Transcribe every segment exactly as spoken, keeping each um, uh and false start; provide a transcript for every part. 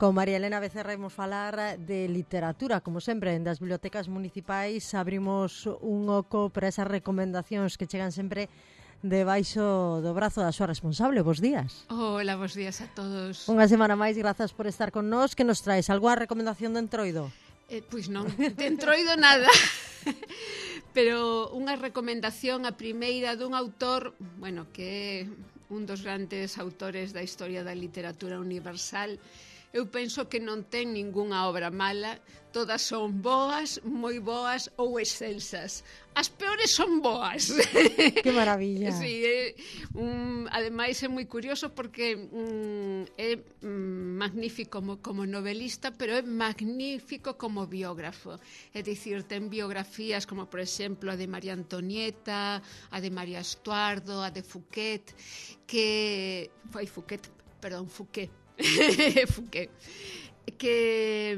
Con María Elena Becerra imos falar de literatura. Como sempre, das bibliotecas municipais abrimos un oco para esas recomendacións que chegan sempre debaixo do brazo da súa responsable. Bos días. Hola, bos días a todos. Unha semana máis, grazas por estar con nós. Que nos traes? Algúa recomendación de Entroido? Eh, pois non, de Entroido nada. Pero unha recomendación, a primeira dun autor, bueno, que é un dos grandes autores da historia da literatura universal. Eu penso que non ten ningunha obra mala, todas son boas, moi boas ou excelsas. As peores son boas. Que maravilla. Sí, é, um, ademais é moi curioso porque um, é um, magnífico como, como novelista, pero é magnífico como biógrafo. É dicir, ten biografías como, por exemplo, a de María Antonieta, a de María Estuardo, a de Fouquet, que... Foi Fouquet, perdón, Fouquet. Fouquet, que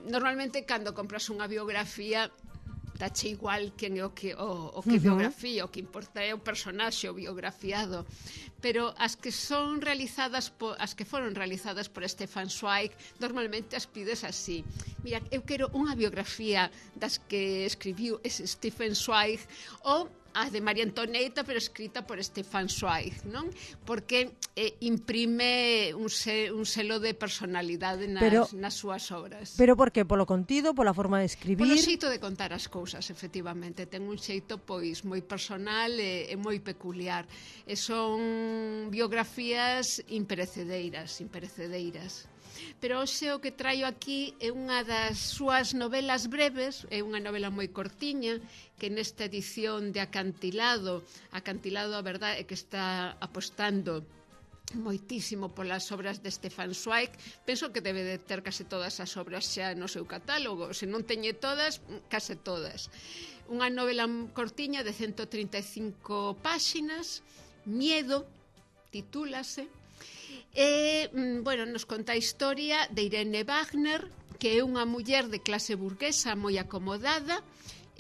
normalmente cando compras unha biografía dache igual quen é o que, o, o que uh-huh. biografía, o que importa é o personaxe, o biografiado, pero as que son realizadas po, as que foron realizadas por Stefan Zweig normalmente as pides así. Mira, eu quero unha biografía das que escribiu ese Stefan Zweig, ou a de María Antonieta, pero escrita por Stefan Zweig, non? Porque eh, imprime un, se, un selo de personalidade nas, pero, nas súas obras. Pero por que? Polo contido, pola forma de escribir? Polo xeito de contar as cousas, efectivamente. Ten un xeito pois moi personal e, e moi peculiar. E son biografías imperecedeiras, imperecedeiras. Pero hoxe o que traio aquí é unha das súas novelas breves, é unha novela moi cortiña, que nesta edición de Acantilado, Acantilado a verdade é que está apostando moitísimo polas obras de Stefan Zweig. Penso que debe de ter case todas as obras xa no seu catálogo, se non teñe todas, case todas. Unha novela cortiña de ciento trinta e cinco páxinas, Miedo, titúlase. E, bueno, nos conta a historia de Irene Wagner, que é unha muller de clase burguesa moi acomodada,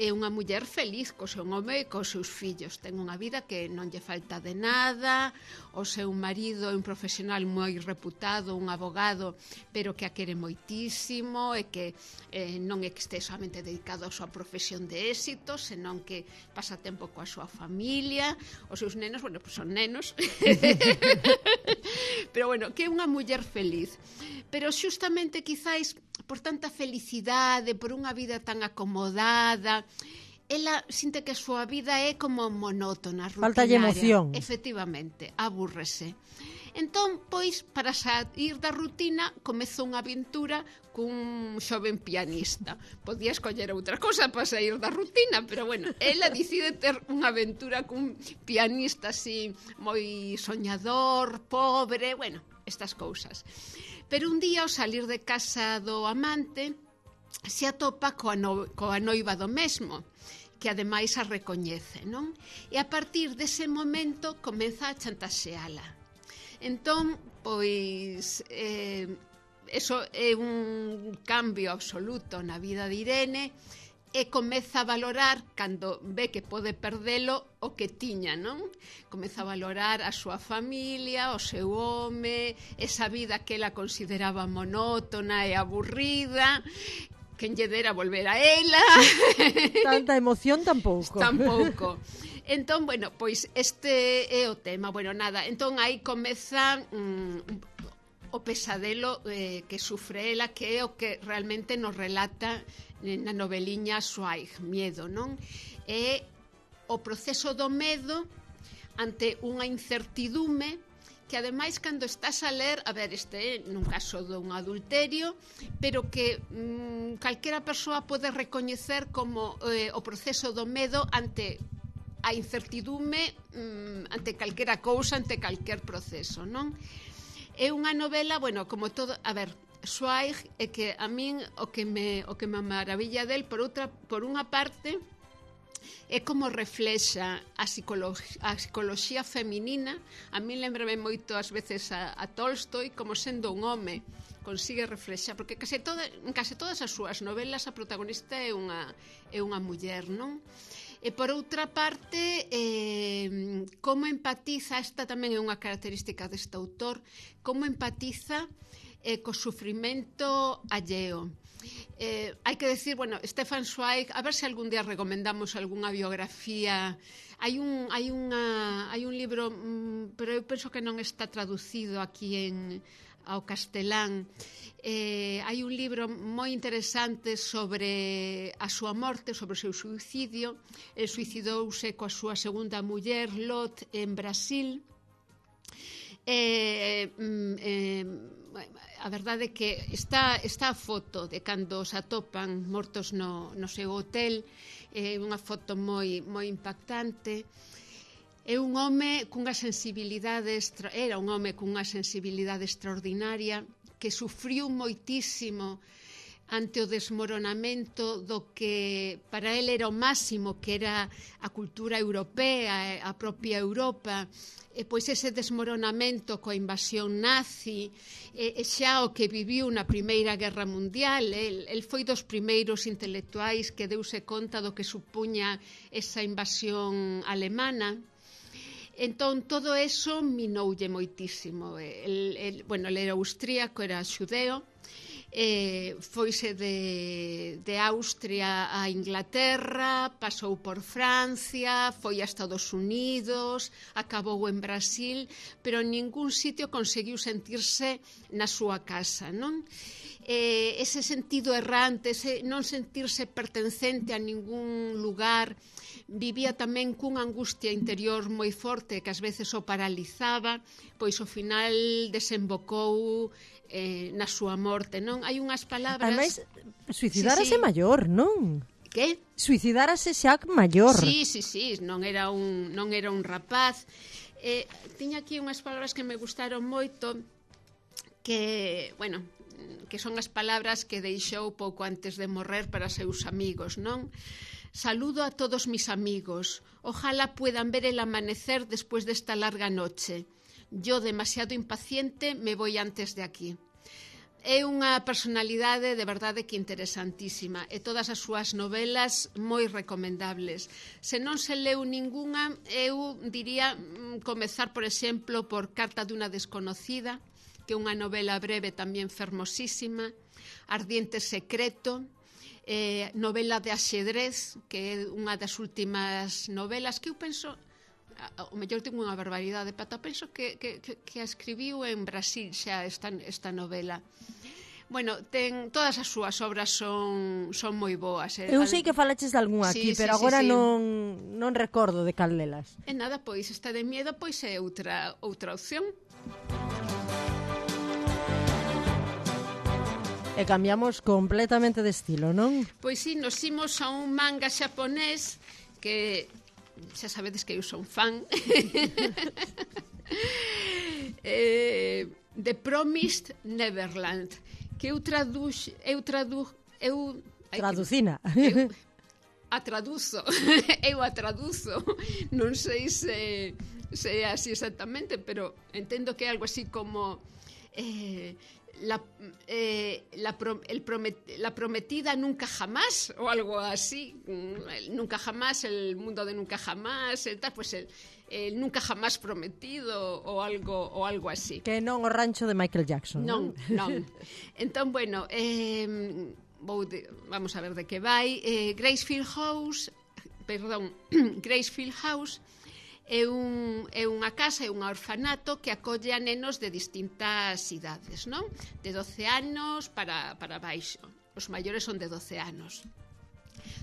é unha muller feliz co seu home e cos seus fillos. Ten unha vida que non lle falta de nada, o seu marido é un profesional moi reputado, un abogado, pero que a quere moitísimo e que eh, non é que este somente dedicado á súa profesión de éxito, senón que pasa tempo coa súa familia, os seus nenos, bueno, pues son nenos, pero bueno, que é unha muller feliz. Pero xustamente quizáis por tanta felicidade, por unha vida tan acomodada, ela sinte que a súa vida é como monótona, rutinaria. Faltalle emoción. Efectivamente, abúrrese. Entón, pois, para sair da rutina, comezou unha aventura cun xoven pianista. Podía escoller outra cosa para sair da rutina, pero bueno, ela decide ter unha aventura cun pianista así moi soñador, pobre, bueno, estas cousas. Pero un día, ao salir de casa do amante, se atopa coa, no, coa noiva do mesmo, que ademais a recoñece, non? E a partir dese momento comeza a chantaxeala. Entón, pois, eh, eso é un cambio absoluto na vida de Irene, e comeza a valorar, cando ve que pode perdelo, o que tiña, non? Comeza a valorar a súa familia, o seu home, esa vida que ela consideraba monótona e aburrida, quen lle dera volver a ela. Tanta emoción tampouco. Tampouco. Entón, bueno, pois este é o tema. Bueno, nada, entón aí comeza mm, o pesadelo eh, que sufre ela, que é o que realmente nos relata na noveliña Zweig, Miedo, non? É o proceso do medo ante unha incertidume que ademais cando estás a ler, a ver, este é nun caso dun adulterio, pero que mmm, calquera persoa pode recoñecer como eh, o proceso do medo ante a incertidume, mmm, ante calquera cousa, ante calquer proceso, non? É unha novela, bueno, como todo, a ver, Zweig é que a min o que me o que me maravilla del por outra por unha parte é como reflexa a psicoloxía, a psicoloxía feminina. A min lembrame moito ás veces a, a Tolstoi, como sendo un home consigue reflexar, porque case toda, en case todas as súas novelas a protagonista é unha é unha muller, non? E por outra parte, eh, como empatiza, esta tamén é unha característica deste autor, como empatiza e co sufrimento alleo. Eh, hai que decir, bueno, Stefan Zweig, a ver se algún día recomendamos algunha biografía. Hai un, hai unha, hai un libro, mm, pero eu penso que non está traducido aquí en, ao castelán. Eh, hai un libro moi interesante sobre a súa morte, sobre o seu suicidio. El suicidouse coa súa segunda muller, Lot, en Brasil. Eh, eh, a verdade é que está, está a foto de cando se atopan mortos no, no seu hotel, é eh, unha foto moi, moi impactante. É un home cunha sensibilidade extra, era un home cunha sensibilidade extraordinaria, que sufriu moitísimo ante o desmoronamento do que para ele era o máximo, que era a cultura europea, a propia Europa, e pois ese desmoronamento coa invasión nazi, e, e xa o que viviu na Primeira Guerra Mundial. El, el foi dos primeiros intelectuais que deuse conta do que supuña esa invasión alemana. Entón, todo eso minoulle moitísimo. El, el, bueno, el era austríaco, era xudeo, Eh, foise de, de Austria a Inglaterra, pasou por Francia, foi a Estados Unidos, acabou en Brasil, pero en ningún sitio conseguiu sentirse na súa casa, non? Eh, ese sentido errante, ese non sentirse pertencente a ningún lugar, vivía tamén cunha angustia interior moi forte que ás veces o paralizaba, pois ao final desembocou eh, na súa morte, non? Hai unhas palabras... Ademais, suicidárase sí, sí. maior, non? Que? Suicidárase xa maior. Sí, sí, sí, non era un, non era un rapaz. Eh, tiña aquí unhas palabras que me gustaron moito, que, bueno, que son as palabras que deixou pouco antes de morrer para seus amigos, non? Saludo a todos mis amigos. Ojalá puedan ver el amanecer después de esta larga noche. Yo, demasiado impaciente, me voy antes de aquí. É unha personalidade de verdade que interesantísima, e todas as súas novelas moi recomendables. Se non se leu ningunha, eu diría comezar, por exemplo, por Carta dunha desconocida, que é unha novela breve tamén fermosísima, Ardiente secreto, eh, novela de axedrez, que é unha das últimas novelas que eu penso, o mellor tengo unha barbaridade, pero penso que, que, que a escribiu en Brasil xa esta, esta novela. Bueno, ten, todas as súas obras son, son moi boas. Eh? Eu sei que falaches de algún aquí, sí, pero sí, agora sí, sí. Non, non recordo de cal delas. E nada, pois, esta de miedo pois é outra, outra opción. E cambiamos completamente de estilo, non? Pois sí, nos imos a un manga xaponés que xa sabedes que eu son fan. eh, The Promised Neverland, que eu traduz, eu tradu, eu traducina. Eu a traduzo. eu a traduzo. Non sei se se é así exactamente, pero entendo que é algo así como eh La, eh, la, el promet, la prometida nunca jamás, o algo así, nunca jamás, el mundo de nunca jamás, el, tal, pues el, el nunca jamás prometido, o algo, o algo así. Que non o rancho de Michael Jackson, non? Non, non. Entón, bueno, eh, vou de, vamos a ver de que vai. Eh, Gracefield House, perdón, Gracefield House, É, un, é unha casa, é un orfanato que acolle a nenos de distintas idades, non? De doce anos para, para baixo. Os maiores son de doce anos.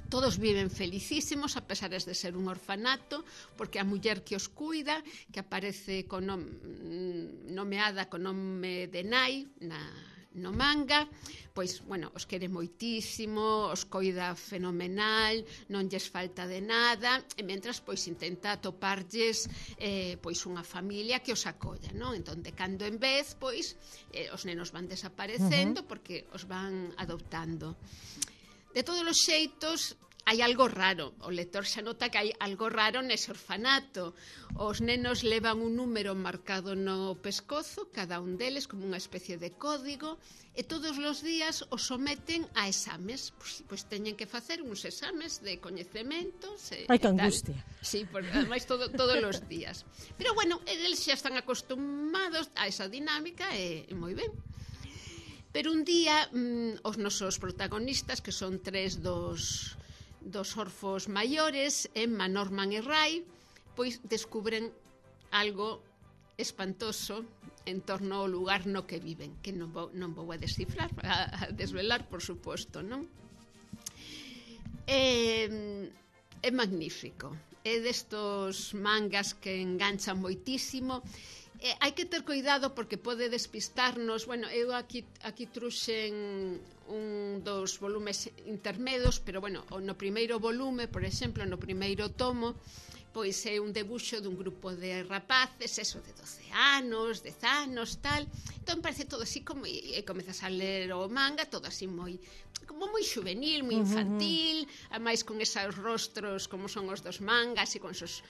Todos viven felicísimos, a pesar de ser un orfanato, porque a muller que os cuida, que aparece con nom, nomeada con nome de nai na, no manga, pois, bueno, os quere moitísimo, os coida fenomenal, non lles falta de nada, e mentras, pois, intenta atoparlles eh, pois unha familia que os acolla, non? Entón, de cando en vez, pois, eh, os nenos van desaparecendo, uh-huh, porque os van adoptando. De todos os xeitos, hai algo raro. O lector xa nota que hai algo raro nese orfanato. Os nenos levan un número marcado no pescozo, cada un deles como unha especie de código, e todos os días os someten a exames. Pois, pois teñen que facer uns exames de coñecementos. E, Ai, que angustia. Sí, por, ademais todo, todos os días. Pero bueno, eles xa están acostumados a esa dinámica e, e moi ben. Pero un día mm, os nosos protagonistas, que son tres dos, dos orfos maiores, Emma, Norman e Ray, pois descubren algo espantoso en torno ao lugar no que viven, que non vou, non vou a descifrar, a, a desvelar, por suposto, non? É, é magnífico. É destos mangas que enganchan moitísimo. Eh, hai que ter cuidado porque pode despistarnos. Bueno, eu aquí, aquí truxen un dos volumes intermedios, pero bueno, no primeiro volume, por exemplo, no primeiro tomo, pois é un debuxo dun grupo de rapaces, eso de doce anos, dez anos, tal. Entón parece todo así como, e comezas a ler o manga, todo así moi, como moi juvenil, moi infantil, uh-huh. Ademais con esos rostros como son os dos mangas e con esos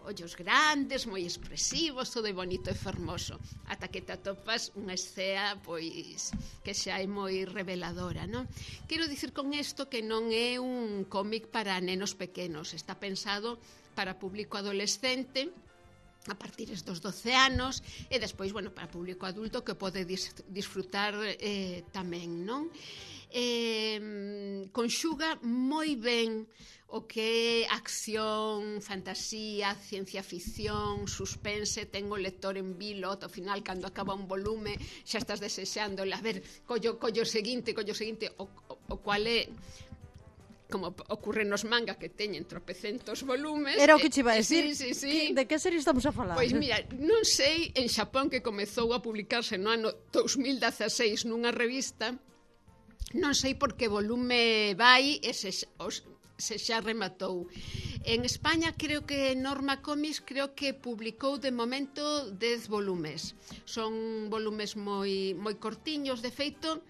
ollos grandes, moi expresivos, todo é bonito e fermoso, ata que te atopas unha escena pois que xa é moi reveladora, non? Quero dicir con isto que non é un cómic para nenos pequenos, está pensado para público adolescente a partir dos doce anos e despois, bueno, para público adulto que pode dis disfrutar eh, tamén, non? Eh, conxuga moi ben o que é acción, fantasía, ciencia ficción, suspense, ten o lector en vilo, ao final, cando acaba un volume, xa estás desexando, a ver, collo, collo seguinte, collo seguinte, o, o, o cual é como ocorre nos manga que teñen tropecentos volumes. Era o que che iba a decir. Sí, sí, sí. De que serie estamos a falar? Pois mira, non sei, en Xapón que comezou a publicarse no ano dos mil dezaseis nunha revista, non sei por que volume vai e se, os, se xa rematou. En España creo que Norma Comics creo que publicou de momento dez volumes. Son volumes moi moi cortiños, de feito,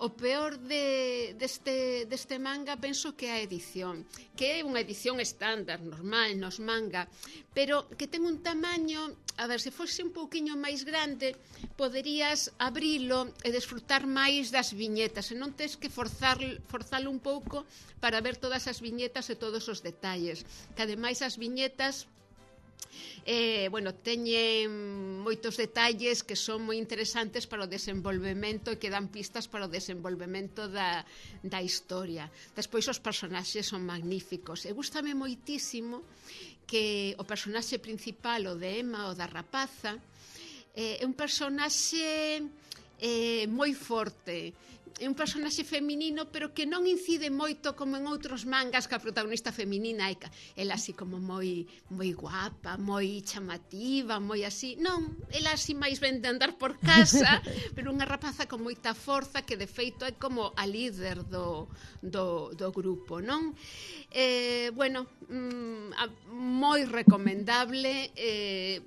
o peor de, deste, deste manga penso que é a edición, que é unha edición estándar, normal, nos manga, pero que ten un tamaño, a ver, se fose un pouquiño máis grande, poderías abrilo e desfrutar máis das viñetas, e non tes que forzar, forzalo un pouco para ver todas as viñetas e todos os detalles, que ademais as viñetas Eh, bueno, teñen moitos detalles que son moi interesantes para o desenvolvemento e que dan pistas para o desenvolvemento da, da historia. Despois os personaxes son magníficos e gústame moitísimo que o personaxe principal, o de Emma, o da rapaza, eh, é un personaxe eh, moi forte, é un personaxe feminino, pero que non incide moito como en outros mangas, que a protagonista feminina é ela así como moi moi guapa, moi chamativa, moi así. Non, ela así máis ben de andar por casa, pero unha rapaza con moita forza que de feito é como a líder do, do, do grupo, non? Eh, bueno, mm, moi recomendable, eh,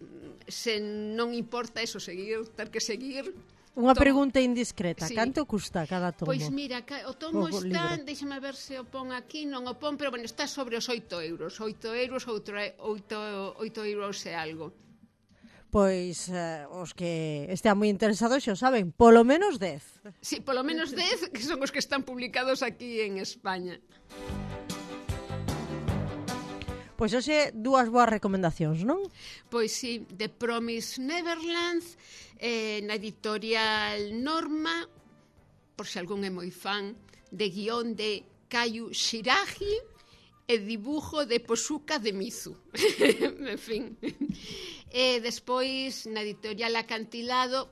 se non importa eso, seguir, ter que seguir. Unha pregunta indiscreta, sí. Canto custa cada tomo? Pois mira, o tomo o está, libro. Déxame ver se o pon aquí, non o pon, pero bueno, está sobre os oito euros, oito euros, oito euros e algo. Pois eh, os que estean moi interesados xa saben, polo menos dez. Sí, polo menos dez, que son os que están publicados aquí en España. Pois hoxe dúas boas recomendacións, non? Pois sí, The Promised Neverland, eh, na editorial Norma, por se algún é moi fan, de guión de Kayu Shiragi e dibujo de Posuka de Mizu. En fin. E despois, na editorial Acantilado,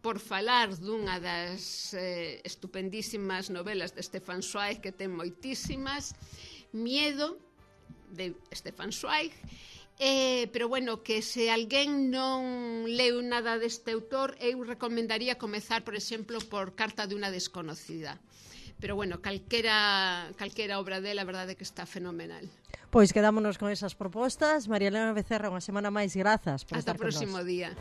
por falar dunha das eh, estupendísimas novelas de Stefan Zweig, que ten moitísimas, Miedo, de Stefan Zweig, eh, pero bueno, que se alguén non leu nada deste autor, eu recomendaría comezar, por exemplo, por Carta de unha desconocida. Pero bueno, calquera, calquera obra dela, a verdade é que está fenomenal. Pois quedámonos con esas propostas. María Elena Becerra, unha semana máis, grazas por Hasta estar con o próximo nós. día.